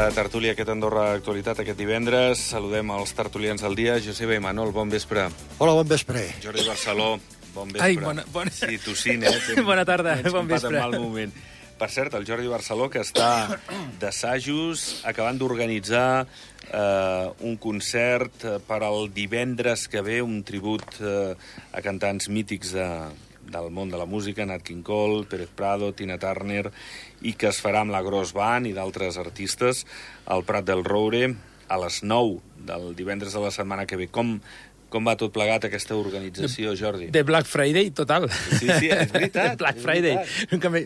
aquesta tertúlia, aquest Andorra Actualitat, aquest divendres. Saludem els tertulians del dia. Joseba i Manol, bon vespre. Hola, bon vespre. Jordi Barceló, bon vespre. Ai, Sí, tossint, Bona tarda, bon vespre. En mal moment. Per cert, el Jordi Barceló, que està d'assajos, acabant d'organitzar un concert per al divendres que ve, un tribut a cantants mítics del món de la música, Nat King Cole, Pérez Prado, Tina Turner, i que es farà amb la Gros Band i d'altres artistes al Prat del Roure a les 9 del divendres de la setmana que ve. Com va tot plegat aquesta organització, Jordi? De Black Friday, total. Sí, és veritat. Black Friday.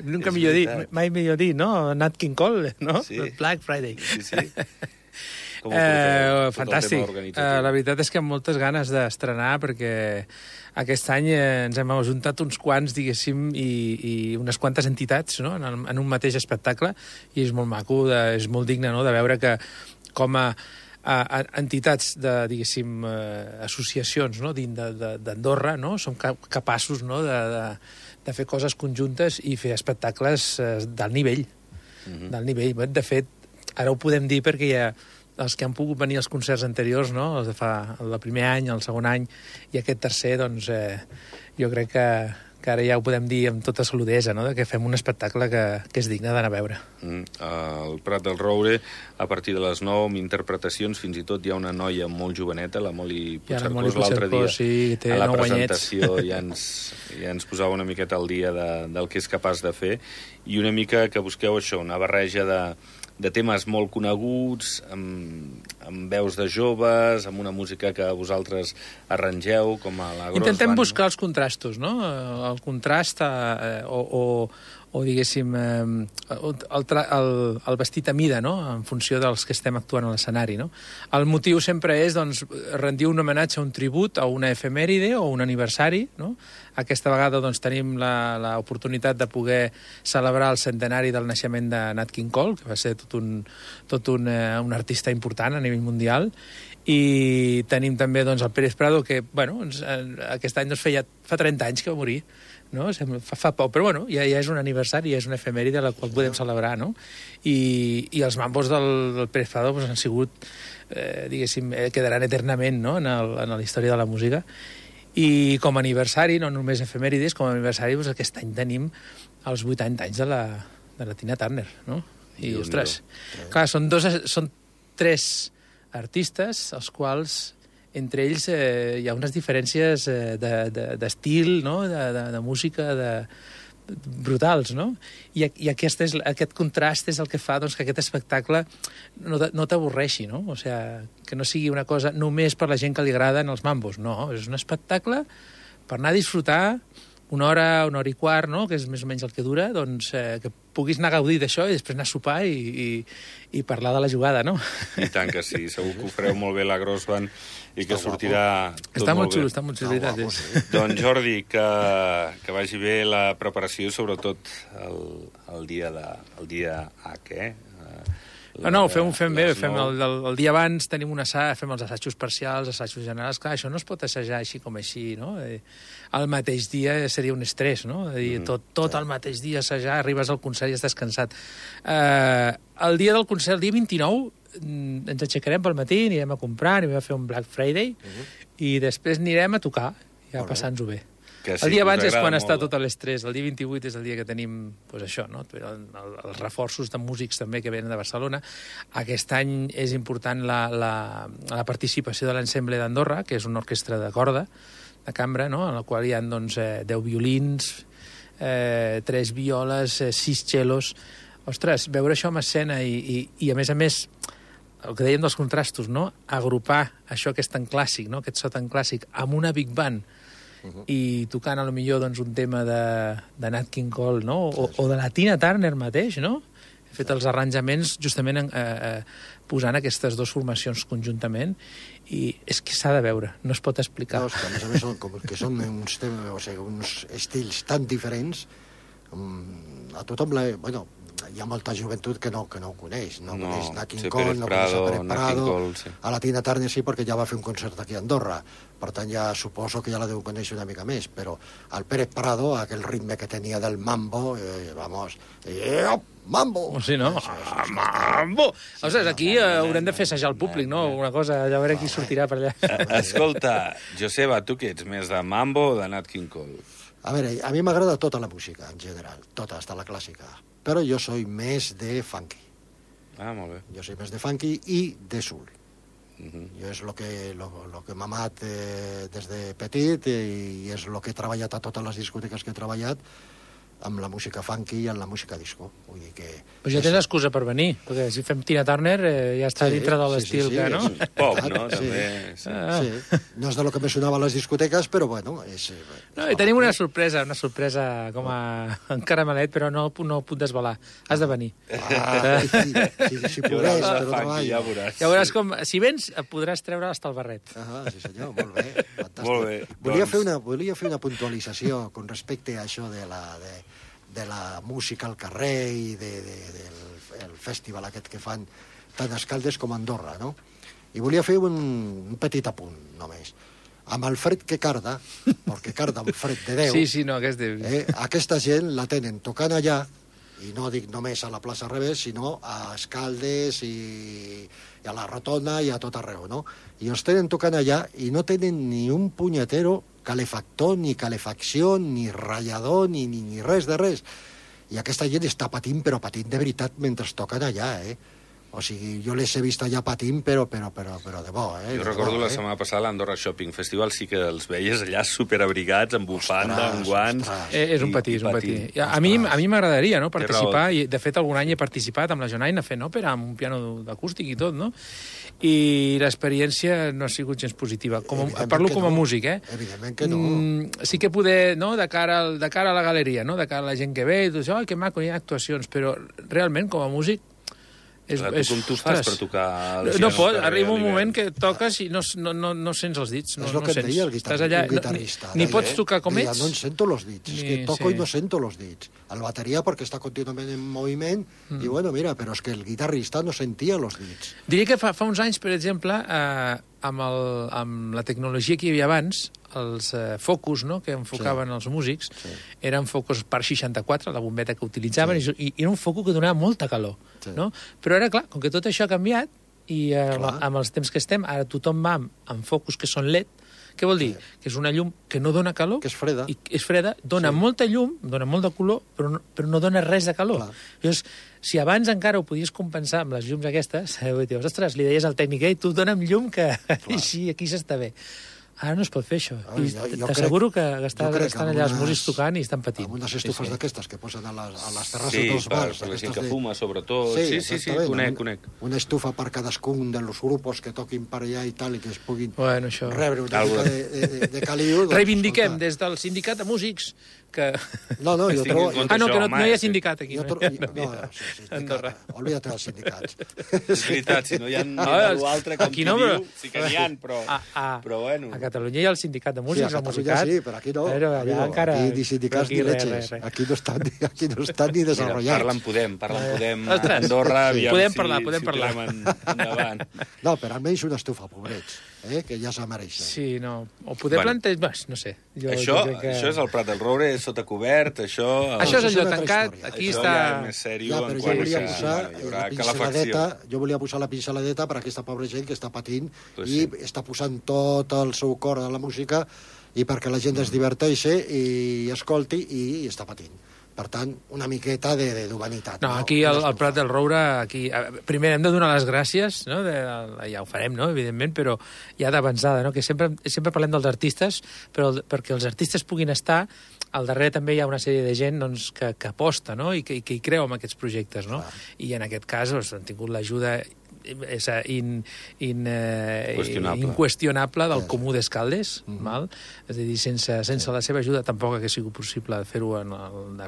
Nunca millor dir, mai millor dir, no? Nat King Cole, no? Sí. Black Friday. Sí. Com ho porteu, fantàstic. La veritat és que amb moltes ganes d'estrenar, perquè aquest any ens hem ajuntat uns quants, diguéssim, i unes quantes entitats, no?, en un mateix espectacle, i és molt maco, és molt digne, no?, de veure que com a entitats diguéssim, associacions, no?, dins d'Andorra, no?, som capaços, no?, de fer coses conjuntes i fer espectacles d'alt nivell. D'alt nivell. De fet, ara ho podem dir perquè hi ha els que han pogut venir als concerts anteriors, no?, els de fa el primer any, el segon any, i aquest tercer, doncs, jo crec que ara ja ho podem dir amb tota saludesa, no?, que fem un espectacle que és digne d'anar a veure. Al Prat del Roure, a partir de les 9, amb interpretacions, fins i tot hi ha una noia molt joveneta, la Moli Puigcercós, l'altre dia, sí, té a la 9 presentació ja ens posava una miqueta al dia del que és capaç de fer, i una mica que busqueu això, una barreja de temes molt coneguts, amb veus de joves, amb una música que vosaltres arrangeu, com a la Gros Band. Intentem buscar els contrastos, no? El contrast o diguéssim, el vestit a mida, no?, en funció dels que estem actuant a l'escenari, no? El motiu sempre és, doncs, rendir un homenatge, un tribut a una efemèride o un aniversari, no? Aquesta vegada, doncs, tenim l'oportunitat de poder celebrar el centenari del naixement de Nat King Cole, que va ser tot un artista important a nivell mundial, i tenim també, doncs, el Pérez Prado, que, bueno, aquest any fa 30 anys que va morir, no? Fa poc, però bueno, ja és un aniversari, ja és una efemèride la qual podem celebrar, no? I els mambos del Pérez Prado han sigut, diguéssim, quedaran eternament, no?, en la història de la música. I com a aniversari, no només efemèrides, com a aniversari, doncs, aquest any tenim els 80 anys de la Tina Turner, no? I, ostres, clar, són 3 artistes, els quals entre ells hi ha unes diferències d'estil, no?, de música, brutals, no? I aquest contrast és el que fa, doncs, que aquest espectacle no t'avorreixi, no? O sigui, que no sigui una cosa només per la gent que li agraden els mambos, no, és un espectacle per anar a disfrutar una hora i quart, no?, que és més o menys el que dura, doncs, que puguis anar a gaudir d'això i després anar a sopar i parlar de la jugada, no? I tant que sí, segur que ho fareu molt bé la Gros Band i que sortirà tot està molt bé. Està molt xulo, veritat. Doncs, Jordi, que vagi bé la preparació, sobretot el dia H, No, ho fem bé, el dia abans tenim un assaig, fem els assajos parcials, assajos generals, clar, això no es pot assajar així com així, no? El mateix dia seria un estrès, no? Tot el mateix dia assajar, arribes al concert i estàs cansat. El dia del concert, el dia 29, ens aixecarem pel matí, anirem a comprar, anirem a fer un Black Friday, i després anirem a tocar, ja passant-ho bé. El dia abans és quan està tot l'estrès, el dia 28 és el dia que tenim, doncs això, no?, els reforços de músics també que venen de Barcelona. Aquest any és important la participació de l'Ensemble d'Andorra, que és una orquestra de corda, de cambra, no?, en la qual hi ha, doncs, 10 violins, 3 violes, 6 cellos. Ostres, veure això en escena i a més, el que dèiem dels contrastos, no?, agrupar això que és tan clàssic, no?, aquest so tan clàssic, amb una big band, i tocant, a lo millor, doncs, un tema de Nat King Cole, no?, o de la Tina Turner mateix, no? He fet els arranjaments justament posant aquestes dues formacions conjuntament, i és que s'ha de veure, no es pot explicar. No, és que a més són uns estils tan diferents, A tothom, bueno, hi ha molta joventut que no ho coneix. No coneix Nat King sí, Cole, no coneix a Pérez Prado. Cole, sí. A la Tina Turner sí, perquè ja va fer un concert aquí a Andorra. Per tant, ja suposo que ja la deu conèixer una mica més. Però el Pérez Prado, aquell ritme que tenia del mambo, mambo! Sí, no? Mambo! Ostres, aquí haurem de fer assajar el públic, no? Una cosa, ja veure qui sortirà per allà. Escolta, Joseba, tu què ets, més de mambo o de Nat King Cole? A veure, a mi m'agrada tota la música, en general. Tota, hasta la clàssica. Però jo soy més de funky. Ah, molt bé. Jo soy més de funky i de soul. Jo és lo que m'ha amat des de petit i és lo que he treballat a totes les discoteques que he treballat, amb la música funky i amb la música disco. Vull dir que... Però ja tens excusa per venir, perquè si fem Tina Turner ja està dintre de l'estil que, no? És pop, no? Sí. També. Sí. Sí. No és de lo que me sonava a les discoteques, però bueno... No, i tenim una sorpresa com a en caramelet, però no ho puc desvelar. Has de venir. Si podés, però treball. Ja veuràs. Ja veuràs com... Si vens, podràs treure hasta el barret. Sí senyor, molt bé. Fantàstic. Molt bé. Volia fer una puntualització con respecte a això de la música al carrer i del festival aquest que fan tant a Escaldes com a Andorra, no? I volia fer un petit apunt, només. Amb el fred que carda, perquè carda un fred de Déu... Sí, no, aquesta gent la tenen tocant allà, i no dic només a la plaça Revés, sinó a Escaldes i a la Rotonda i a tot arreu, no? I els tenen tocant allà i no tenen ni un punyetero calefactor, ni calefacció, ni ratllador, ni res de res. I aquesta gent està patint, però patint de veritat mentre toquen allà, O sigui, jo les he vist allà patint, però de bo, Jo recordo la setmana passada l'Andorra Shopping Festival, sí que els veies allà superabrigats, amb bufanda, amb guants... És un patí. A mi m'agradaria, no?, participar, i de fet algun any he participat amb la Jonaina fent òpera, amb un piano d'acústic i tot, no? I l'experiència no ha sigut gens positiva. Parlo com a músic, Evidentment que no. Sí que poder, no?, de cara a la galeria, no?, de cara a la gent que ve, i tu dius, que maco, hi ha actuacions, però realment, com a músic, com tu fas per tocar... No pot, arriba un moment que toques i no sents els dits. És el que et deia el guitarrista. Ni pots tocar com ets. No en sento los dits, és que toco i no sento los dits. El bateria perquè està contínuament en moviment i bueno, mira, però és que el guitarrista no sentia los dits. Diria que fa uns anys, per exemple, amb la tecnologia que hi havia abans, els focus, no?, que enfocaven els músics, eren focus per 64, la bombeta que utilitzaven, i era un focus que donava molta calor, no? Però ara, clar, com que tot això ha canviat, i amb els temps que estem, ara tothom va amb focus que són LED. Què vol dir? Que és una llum que no dona calor, que és freda, dona molta llum, dona molt de color, però no dona res de calor. Llavors, si abans encara ho podies compensar amb les llums aquestes, dius, ostres, li deies al tècnic, tu dona'm llum que així aquí s'està bé. Ara no es pot fer això. T'asseguro que estan allà els músics tocant i estan patint. Amb unes estufes d'aquestes que posen a les terrasses dels bars. Sí, per la gent que fuma, sobretot. Sí, conec. Una estufa per cadascun dels grups que toquin per allà i tal, i que es puguin rebre una mica de caliu. Reivindiquem des del sindicat de músics que... No, jo trobo... que no hi ha sindicat aquí. Andorra. Olvídate dels sindicats. És veritat, si no hi ha ningú altre com qui diu, sí que n'hi ha, però bueno... A Catalunya hi ha el sindicat de músics, el musicat. Sí, però aquí no. Aquí ni sindicats ni leches. Aquí no estan ni desenvolupats. Parlen Andorra, podem parlar. Endavant. No, però almenys una estufa, pobrets, que ja se mereixen. Sí, no. O poder plantejar... No sé. Això és el Prat del Roure, sota cobert, això... Això és allò tancat, aquí està... Això ja és més sèrio en quant hi haurà calefacció. Jo volia posar la pinceladeta per a aquesta pobra gent que està patint i està posant tot el seu cor a la música i perquè la gent es diverteixi i escolti i està patint. Per tant, una miqueta d'humanitat. No, aquí al Prat del Roure, primer hem de donar les gràcies, no? Ja ho farem, no? Evidentment, però ja d'avançada, no? Que sempre parlem dels artistes, però perquè els artistes puguin estar, al darrere també hi ha una sèrie de gent que aposta, no? I que hi creu en aquests projectes, no? I en aquest cas han tingut l'ajuda és inqüestionable del comú d'Escaldes, val? És a dir, sense la seva ajuda tampoc hagués sigut possible fer-ho en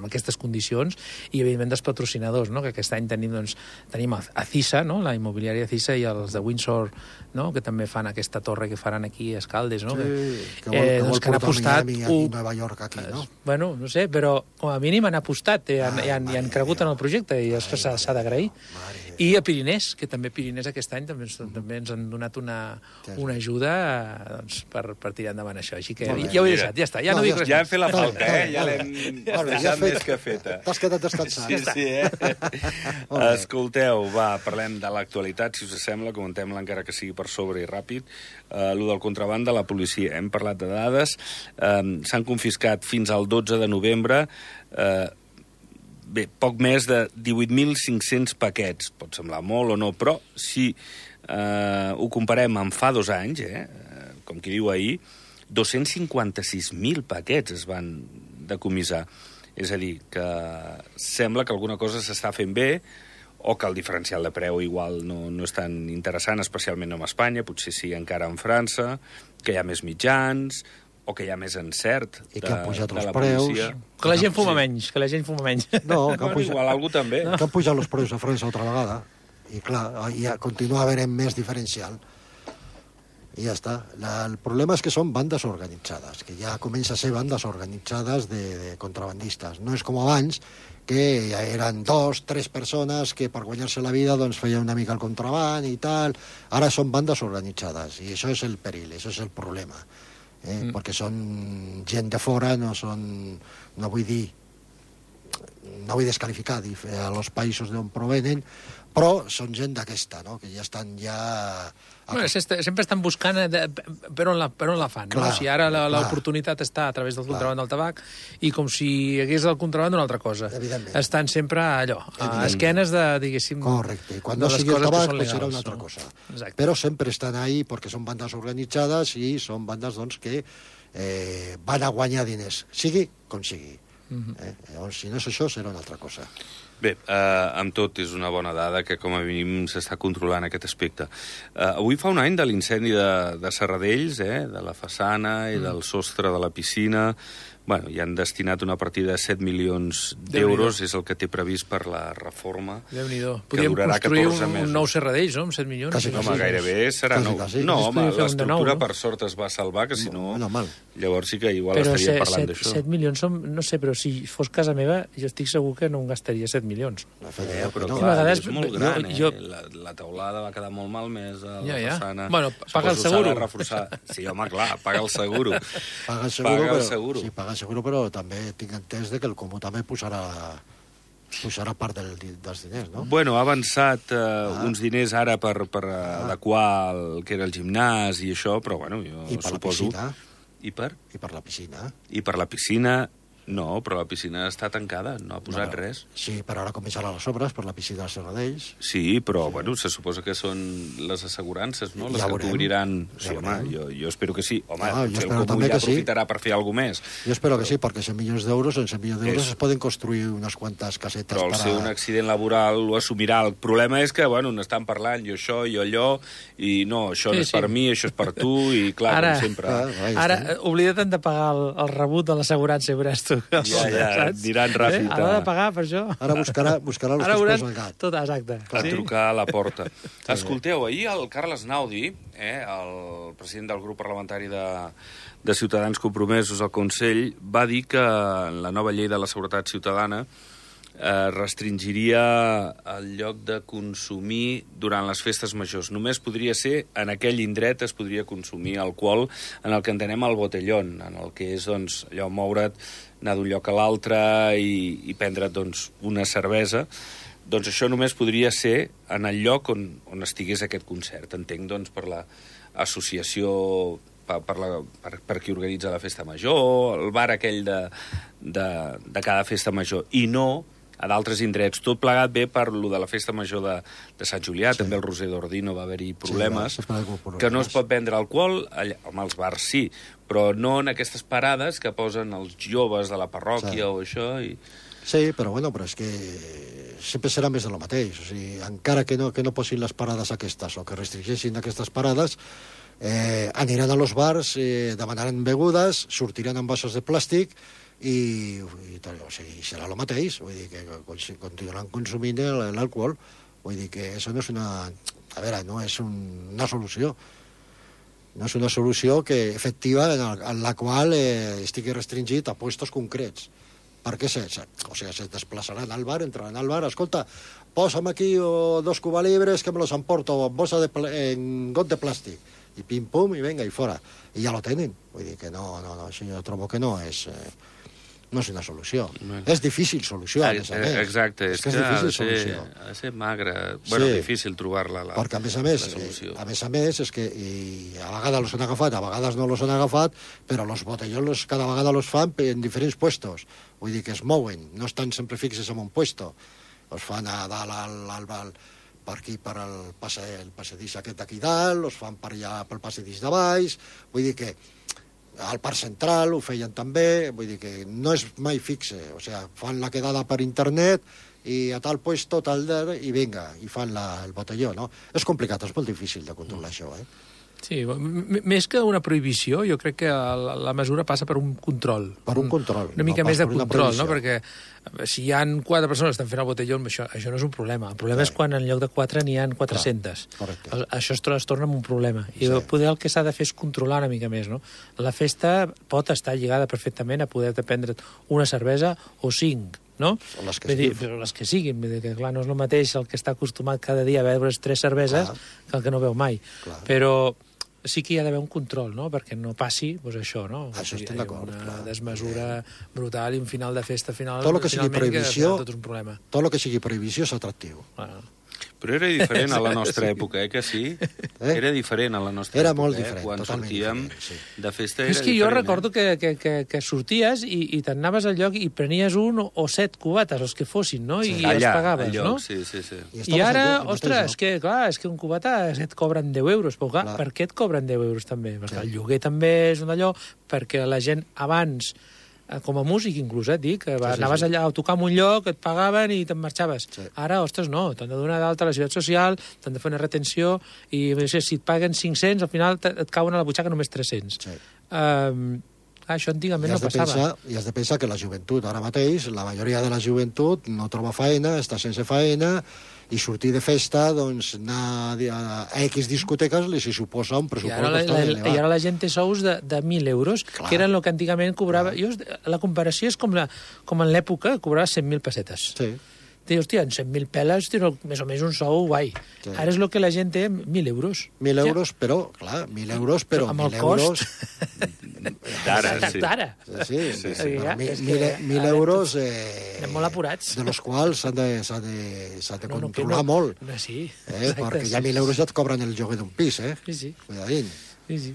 aquestes condicions, i evidentment dels patrocinadors, no? Que aquest any tenim a CISA, no? La immobiliària CISA, i els de Windsor, no? Que també fan aquesta torre que faran aquí a Escaldes, no? Sí, que vol portar Miami aquí, Nova York aquí, no? Bueno, no sé, però com a mínim han apostat, han cregut en el projecte, i això s'ha d'agrair. I a Pirinès, que també Pirinès aquest any també ens han donat una ajuda per tirar endavant això. Així que ja ho he deixat, ja està, ja no dic res. Ja hem fet la falta, ja l'hem deixat més que feta. T'has quedat descansat. Sí, Escolteu, parlem de l'actualitat, si us sembla, comentem-la encara que sigui per sobre i ràpid. Lo del contraban de la policia, hem parlat de dades, s'han confiscat fins al 12 de novembre poc més de 18.500 paquets. Pot semblar molt o no, però si ho comparem amb fa 2 anys, com qui diu ahir, 256.000 paquets es van decomissar. És a dir, que sembla que alguna cosa s'està fent bé, o que el diferencial de preu igual no és tan interessant, especialment no en Espanya, potser sí encara en França, que hi ha més mitjans, o que hi ha més encert i que han pujat els preus. Que la gent fuma menys, No, que igual algú també. Que han pujat els preus a França altra vegada, i clar, ja continua havent més diferencial. I ja està. El problema és que són bandes organitzades, que ja comença a ser bandes organitzades de contrabandistes. No és com abans, que ja eren 2, 3 persones que per guanyar-se la vida doncs feien una mica el contraband i tal. Ara són bandes organitzades, i això és el perill, això és el problema. Perquè són gent de fora, no vull desqualificar els països d'on provenen, però són gent d'aquesta, no? Que ja estan Bueno, sempre estan buscant per on la fan. Clar, no? Si ara l'oportunitat està a través del contraband del tabac, i com si hi hagués el contraband d'una altra cosa. Estan sempre allò, a esquenes de, diguéssim... Correcte, i quan no sigui el tabac pues serà una altra cosa. Exacte. Però sempre estan ahí perquè són bandes organitzades i són bandes doncs, que van a guanyar diners, sigui com sigui. Llavors, si no és això, serà una altra cosa. Bé, amb tot és una bona dada que com a mínim s'està controlant aquest aspecte. Avui fa un any de l'incendi de Serradells, de la façana i del sostre de la piscina. Bueno, hi han destinat una partida de 7 milions d'euros, és el que té previst per la reforma. Déu-n'hi-do. Podríem construir un nou Serradells, no?, amb 7 milions. Home, gairebé serà nou. No, home, l'estructura per sort es va salvar, que si no... Llavors sí que igual estaria parlant d'això. Però 7 milions són... No sé, però si fos casa meva, jo estic segur que no em gastaria 7 milions. Però clar, és molt gran, la teulada va quedar molt malmesa, la façana... Bueno, paga el seguro. Sí, home, clar, paga el seguro. Paga el seguro. Sí, paga el seguro, però també tinc entès que el Comú també posarà part dels diners, no? Bueno, ha avançat uns diners ara per adequar el que era el gimnàs i això, però bueno, jo suposo... I per? I per la piscina. I per la piscina... No, però la piscina està tancada, no ha posat res. Sí, però ara començaran les obres per la piscina de Serradells. Sí, però, bueno, se suposa que són les assegurances, no?, les que cobriran... Sí, home, jo espero que sí. Home, potser el Comú ja aprofitarà per fer alguna més. Jo espero que sí, perquè 100 milions d'euros, en 100 milions d'euros es poden construir unes quantes casetes. Però al ser un accident laboral ho assumirà. El problema és que, bueno, n'estan parlant, jo això, jo allò, i no, això no és per mi, això és per tu, i clar, com sempre... Ara, oblida't de pagar el rebut de l'assegurança, veuràs tu. Ja, diran ràpid. Ara de pagar per això. Ara buscarà els teus peus al gat. Tot, exacte. A trucar a la porta. Escolteu, ahir el Carles Naudi, el president del grup parlamentari de Ciutadans Compromesos al Consell, va dir que la nova llei de la seguretat ciutadana restringiria el lloc de consumir durant les festes majors. Només podria ser, en aquell indret es podria consumir alcohol, en el que entenem el botellón, en el que és, doncs, allò, moure't, anar d'un lloc a l'altre i prendre't, doncs, una cervesa. Doncs això només podria ser en el lloc on estigués aquest concert. Entenc, doncs, per l'associació, per qui organitza la festa major, el bar aquell de cada festa major, i no a d'altres indrets. Tot plegat bé per lo de la festa major de Sant Julià, també el Roser d'Ordino va haver-hi problemes, que no es pot vendre alcohol, home, als bars sí, però no en aquestes parades que posen els joves de la parròquia o això. Sí, però bueno, però és que sempre serà més de lo mateix. O sigui, encara que no posin les parades aquestes o que restringeixin aquestes parades, aniran a los bars, demanaran begudes, sortiran amb vasos de plàstic i o sigui, serà el mateix, vull dir que continuaran consumint l'alcohol, vull dir que això no és una... A veure, no és una solució. No és una solució efectiva en la qual estigui restringit a puestos concrets. Perquè se desplaçaran al bar, entraran al bar, escolta, posa'm aquí 2 cubalibres que me los emporto en got de plàstic. I pim-pum, i venga, i fora. I ja lo tenen. Vull dir que no, això jo trobo que no és una solució. És difícil solució, a més a més. Exacte, és que difícil solució. Ha de ser magre. Bueno, difícil trobar-la, la perquè, solució. A més, és que a vegades los han agafat, a vegades no los han agafat, però los botellones cada vegada los fan en diferents puestos. Vull dir que es mouen, no estan sempre fixes en un puesto. Els fan a dalt, per aquí, per el passadís aquest d'aquí dalt, els fan per allà pel passadís de baix, vull dir que al Parc Central ho feien també, vull dir que no és mai fixe, o sigui, fan la quedada per internet i a tal puesto, i vinga, i fan el botelló, no? És complicat, és molt difícil de controlar això, Sí, més que una prohibició, jo crec que la mesura passa per un control. Per un control. Una mica més de control, no? Perquè si hi ha 4 persones que estan fent el botelló, això no és un problema. El problema és quan en lloc de 4 n'hi ha 400. Això es torna en un problema. I poder el que s'ha de fer és controlar una mica més, no? La festa pot estar lligada perfectament a poder prendre una cervesa o 5, no? O les que siguin. Però les que siguin. Vull dir que, clar, no és el mateix el que està acostumat cada dia a beure 3 cerveses que el que no veu mai. Però sí que hi ha d'haver un control, no?, perquè no passi, doncs això, no? Això estem d'acord. Una desmesura brutal i un final de festa final... Tot el que sigui prohibició, tot un problema. Tot el que sigui prohibició és atractiu. Però era diferent a la nostra època, que sí? Era diferent a la nostra època. Era molt diferent, quan sortíem de festa era diferent. És que jo recordo que sorties i te'n anaves al lloc i prenies 1 o 7 cubates, els que fossin, no? I els pagaves, no? Sí. I ara, ostres, és que un cubata et cobren 10 euros. Però clar, per què et cobren 10 euros també? Perquè el lloguer també és un d'allò, perquè la gent abans... com a músic, inclús, dic, anaves allà a tocar en un lloc, et pagaven i te'n marxaves. Ara, ostres, no, t'han de donar d'alta a la Seguretat Social, t'han de fer una retenció, i si et paguen 500, al final et cauen a la butxaca només 300. Això antigament no passava. I has de pensar que la joventut, ara mateix, la majoria de la joventut no troba faena, està sense faena, i sortir de festa, doncs, anar a X discoteques li suposa un pressupost bastant elevat. I ara la gent té sous de 1.000 euros, que eren el que antigament cobrava... La comparació és com en l'època que cobrava 100.000 pessetes. Sí. Dius, hòstia, en 100.000 peles tens més o menys un sou guai. Sí. Ara és el que la gent té, 1.000 euros. 1.000 euros, però, clar, 1.000 euros, però... Amb el cost... D'ara, sí. Sí. 1.000 euros... Anem molt apurats. De los quals s'han de controlar molt. Sí. Perquè ja 1.000 euros ja et cobren el lloguer d'un pis, Sí. Cuidadín. Sí.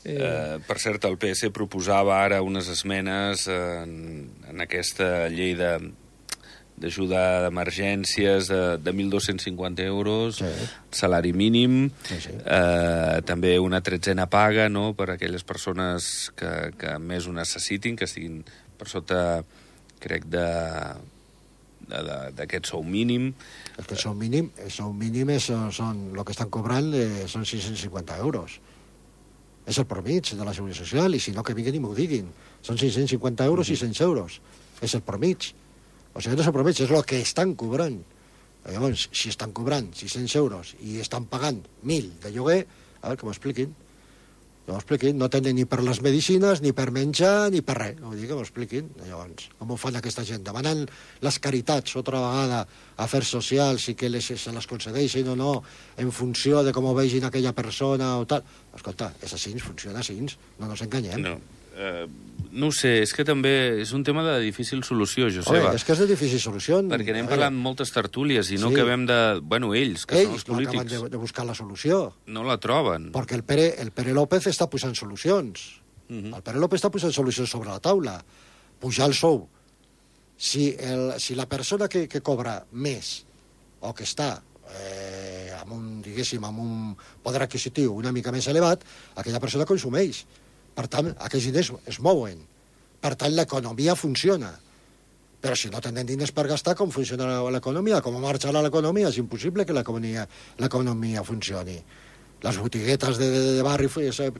Per cert, el PS proposava ara unes esmenes en aquesta llei d'ajuda d'emergències de 1.250 euros, salari mínim, també una 13a paga, no?, per a aquelles persones que més ho necessitin, que estiguin per sota, crec, d'aquest sou mínim. El sou mínim són el que estan cobrant són 650 euros. És el promig de la Seguretat Social, i si no, que vinguin i m'ho diguin. Són 650 euros, 600 euros. És el promig. O sigui, no és el promig, és el que estan cobrant. Llavors, si estan cobrant 600 euros i estan pagant 1.000 de lloguer, a veure, que m'ho expliquin. No tenen ni per les medicines, ni per menjar, ni per res. Vull dir, que m'ho expliquin. Llavors, com ho fan aquesta gent? Demanant les caritats, otra vegada, afers socials, i que se les concedeixin o no, en funció de com ho vegin aquella persona o tal. Escolta, és així, funciona així, no ens enganyem. No ho sé, és que també és un tema de difícil solució, Joseba. És que és de difícil solució. Perquè anem parlant moltes tertúlies i no acabem de... Bueno, ells, que són els polítics. Ells no acaben de buscar la solució. No la troben. Perquè el Pere López està posant solucions. El Pere López està posant solucions sobre la taula. Pujar el sou Si la persona que cobra més o que està amb un poder adquisitiu una mica més elevat, aquella persona consumeix. Per tant, aquells diners es mouen. Per tant, l'economia funciona. Però si no tenen diners per gastar, com funciona l'economia? Com marxarà l'economia? És impossible que l'economia funcioni. Les botiguetes de barri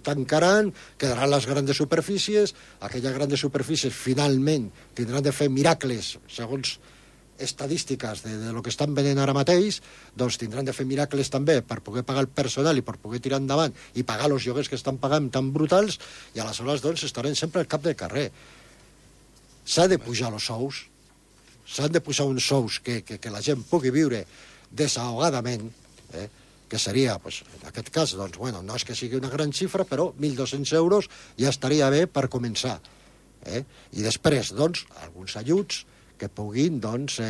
tancaran, quedaran les grans superfícies, aquelles grans superfícies finalment tindran de fer miracles, segons estadístiques de lo que estan venent ara mateix, doncs tindran de fer miracles també per poder pagar el personal i per poder tirar endavant i pagar els lloguers que estan pagant tan brutals, i aleshores doncs estaran sempre al cap del carrer. S'ha de pujar els sous, s'han de posar uns sous que la gent pugui viure desahogadament, que seria, pues, en aquest cas, doncs, bueno, no és que sigui una gran xifra, però 1.200 euros ja estaria bé per començar. I després, doncs, alguns ajuts que puguin, doncs,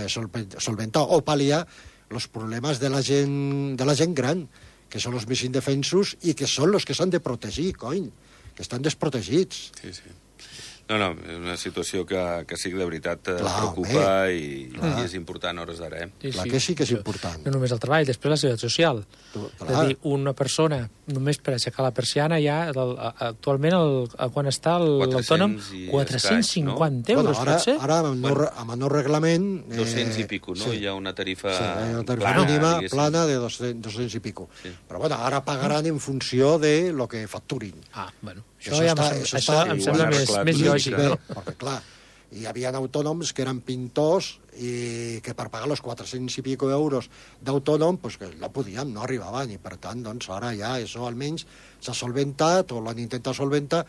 solventar o pal·liar els problemes de la gent gran, que són els més indefensos i que són els que s'han de protegir, cony, que estan desprotegits. Sí, sí. No, és una situació que sí que de veritat preocupa i és important a hores d'ara. Clar que sí que és important. No només el treball, després la seguretat social. És a dir, una persona, només per aixecar la persiana, ja actualment, quan està l'autònom, 450 euros, pot ser? Ara, amb el nou reglament... 200 i pico, no? Hi ha una tarifa mínima plana de 200 i pico. Però, bueno, ara pagaran en funció de lo que facturin. Bueno, això em sembla més lògic, no? Perquè, clar, hi havia autònoms que eren pintors i que per pagar els 400 i pico euros d'autònom, pues que no podíem, no arribaven, i per tant, doncs, ara ja això almenys s'ha solventat, o l'han intentat solventar,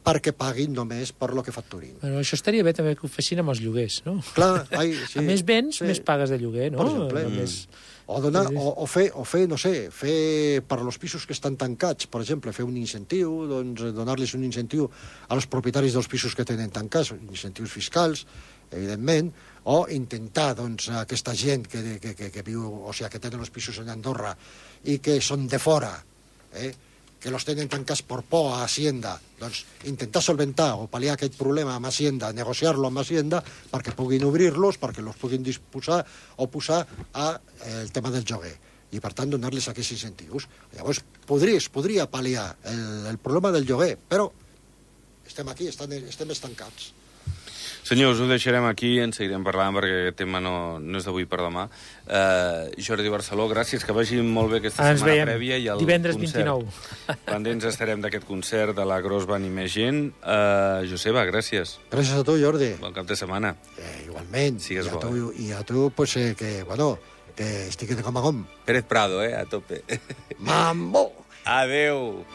perquè paguin només per lo que facturin. Bueno, això estaria bé també que ho fessin amb els lloguers, no? Clar, sí. A més béns, més pagues de lloguer, no? Per exemple. O fer, no sé, fer per als pisos que estan tancats, per exemple, fer un incentiu, doncs donar-los un incentiu als propietaris dels pisos que tenen tancats, incentius fiscals, evidentment, o intentar, doncs, aquesta gent que viu, o sigui, que tenen els pisos en Andorra i que són de fora, que los tenen tancats per por a Hacienda, doncs intentar solventar o pal·liar aquest problema amb Hacienda, negociar-lo amb Hacienda perquè puguin obrir-los, perquè els puguin disposar o posar al tema del lloguer. I, per tant, donar-los aquests incentius. Llavors, podria pal·liar el problema del lloguer, però estem aquí, estem estancats. Senyors, ho deixarem aquí, en seguirem parlant perquè aquest tema no és d'avui per demà. Jordi Barceló, gràcies, que vagi molt bé aquesta setmana prèvia i el divendres concert. 29. Pendents estarem d'aquest concert de la Grossband i més gent. Joseba, gràcies. Gràcies a tu, Jordi. Bon cap de setmana. Igualment. Sigues bo. I a tu, pues, que estic de com a com. Pérez Prado, a tope. Mambo! Adeu!